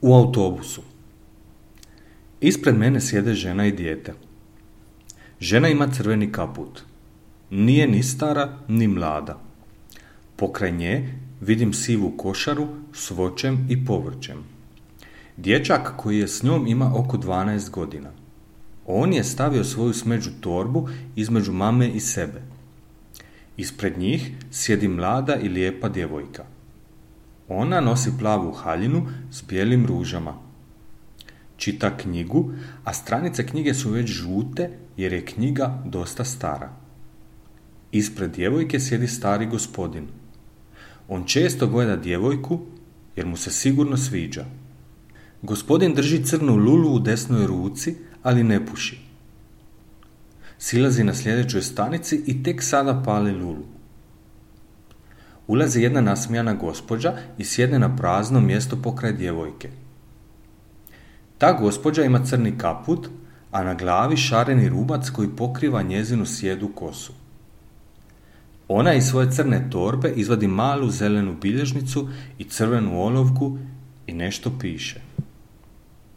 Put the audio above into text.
U autobusu. Ispred mene sjede žena i dijete. Žena ima crveni kaput. Nije ni stara, ni mlada. Pokraj nje vidim sivu košaru s voćem i povrćem. Dječak koji je s njom ima oko 12 godina. On je stavio svoju smeđu torbu između mame i sebe. Ispred njih sjedi mlada i lijepa djevojka. Ona nosi plavu haljinu s bijelim ružama. Čita knjigu, a stranice knjige su već žute jer je knjiga dosta stara. Ispred djevojke sjedi stari gospodin. On često gleda djevojku jer mu se sigurno sviđa. Gospodin drži crnu lulu u desnoj ruci, ali ne puši. Silazi na sljedećoj stanici i tek sada pali lulu. Ulazi jedna nasmijana gospođa i sjedne na prazno mjesto pokraj djevojke. Ta gospođa ima crni kaput, a na glavi šareni rubac koji pokriva njezinu sjedu kosu. Ona iz svoje crne torbe izvadi malu zelenu bilježnicu i crvenu olovku i nešto piše.